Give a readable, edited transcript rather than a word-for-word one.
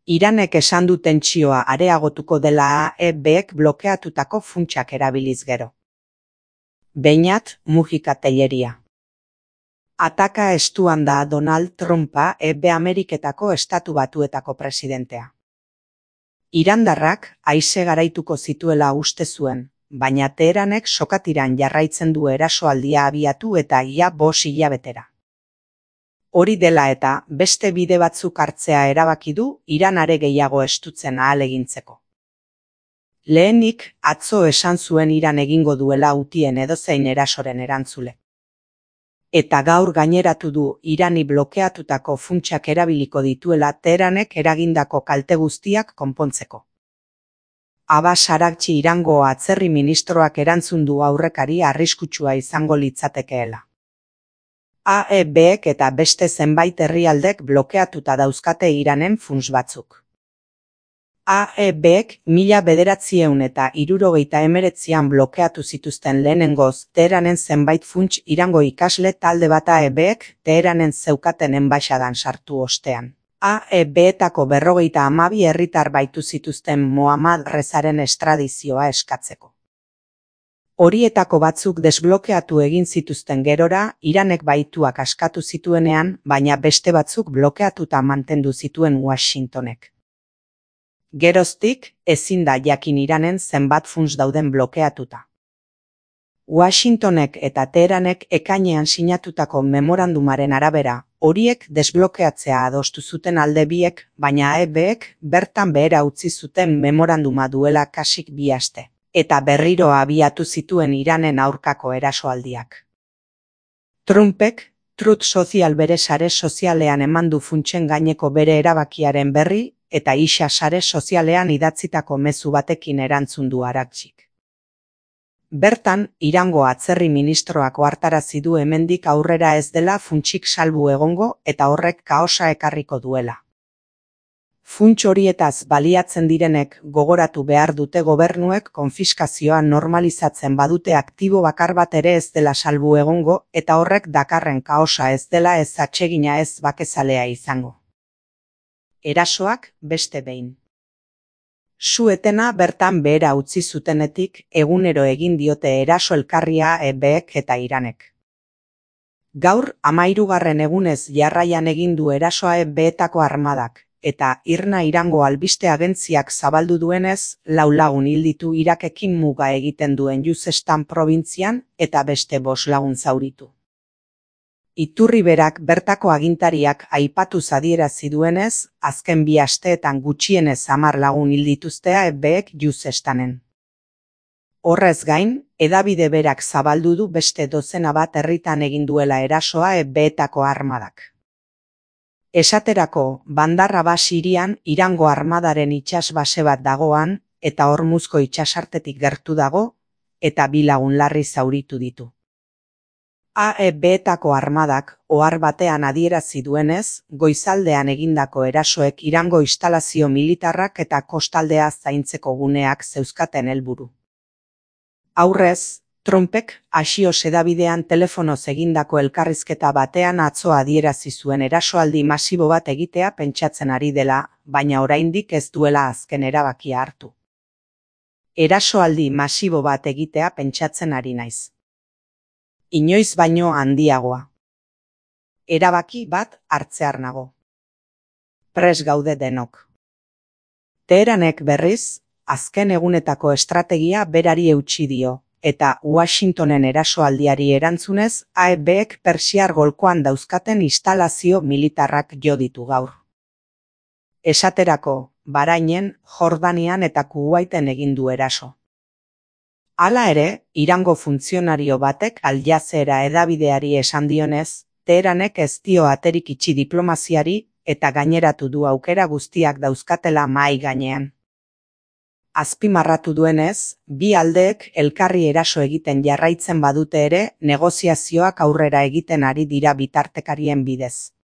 Iranek esan du tentsioa areagotuko dela AEBek blokeatutako funtsak erabiliz gero. Beñat Mujika Telleria. Ataka estuan da Donald Trumpa Ameriketako Estatu Batuetako presidentea. Irandarrak haize garaituko zituela uste zuen, baina Teheranek sokatiran jarraitzen du erasoaldia abiatu eta ia 5 hilabetera. Hori dela eta beste bide batzuk hartzea erabaki du Iran are gehiago estutzen ahalegintzeko. Lehenik atzo esan zuen Iran egingo duela Hutien edozein erasoren erantzule. Eta gaur gaineratu du Irani blokeatutako funtsak erabiliko dituela Teheranek eragindako kalte guztiak konpontzeko. Abbas Araghchi Irango atzerri ministroak erantzun du aurrekari arriskutsua izango litzatekeela. AEBek eta beste zenbait herrialdek blokeatuta dauzkate Iranen funts batzuk. AEBek 1979an blokeatu zituzten lehenengoz Teheranen zenbait funts Irango ikasle talde bat AEBek Teheranen zeukaten enbaixadan sartu ostean. AEBetako 52 herritar baitu zituzten Mohammad Rezaren estradizioa eskatzeko. Horietako batzuk desblokeatu egin zituzten gerora, Iranek baituak askatu zituenean, baina beste batzuk blokeatuta mantendu zituen Washingtonek. Geroztik, ezin da jakin Iranen zenbat funts dauden blokeatuta. Washingtonek eta Teheranek ekainean sinatutako memorandumaren arabera, horiek desblokeatzea adostu zuten alde biek, baina AEBek bertan behera utzi zuten memoranduma duela kasik 2 aste. Eta berriro abiatu zituen Iranen aurkako erasoaldiak. Trumpek, Truth Social bere sare sozialean eman du funtsen gaineko bere erabakiaren berri, eta isa sare sozialean idatzitako mezu batekin erantzun du Araghchik. Bertan, Irango atzerri ministroak ohartarazi du hemendik aurrera ez dela funtsik salbu egongo eta horrek kaosa ekarriko duela. Funts horietaz baliatzen direnek gogoratu behar dute gobernuek konfiskazioa normalizatzen badute aktibo bakar bat ere ez dela salbu egongo eta horrek dakarren kaosa ez dela ez atsegina ez bakezalea izango. Erasoak beste behin. Su-etena bertan behera utzi zutenetik egunero egin diote eraso elkarria AEBek eta Iranek. Gaur 13. egunez jarraian egin du erasoa AEBetako armadak. Eta IRNA Irango albiste agentziak zabaldu duenez, 4 lagun hil ditu Irakekin muga egiten duen Juzestan probintzian eta beste 5 lagun zauritu. Iturri berak bertako agintariak aipatuz adierazi duenez, azken 2 asteetan gutxienez 10 lagun hil dituzte AEBek Juzestanen. Horrez gain, hedabide berak zabaldu du beste 12 bat herritan egin duela erasoa AEBetako armadak. Esaterako, Bandar Abbas hirian Irango armadaren itsasbase bat dagoan, eta Hormuzko itsasartetik gertu dago, eta 2 lagun larri zauritu ditu. AEBetako armadak ohar batean adierazi duenez, goizaldean egindako erasoek Irango instalazio militarrak eta kostaldea zaintzeko guneak zeuzkaten helburu. Aurrez, Trumpek Axios hedabidean telefonoz egindako elkarrizketa batean atzo adierazi zuen erasoaldi masibo bat egitea pentsatzen ari dela, baina oraindik ez duela azken erabakia hartu. Erasoaldi masibo bat egitea pentsatzen ari naiz. Inoiz baino handiagoa. Erabaki bat hartzear nago. Prest gaude denok. Teheranek berriz, azken egunetako estrategia berari eutsi dio. Eta Washingtonen erasoaldiari erantzunez, AEBek Persiar golkoan dauzkaten instalazio militarrak jo ditu gaur. Esaterako, Bahrainen, Jordanian eta Kuwaiten egin du eraso. Hala ere, Irango funtzionario batek Al Jazeera hedabideari esan dionez, Teheranek ez dio aterik itxi diplomaziari eta gaineratu du aukera guztiak dauzkatela mahai gainean. Azpimarratu duenez, 2 aldeek elkarri eraso egiten jarraitzen badute ere, negoziazioak aurrera egiten ari dira bitartekarien bidez.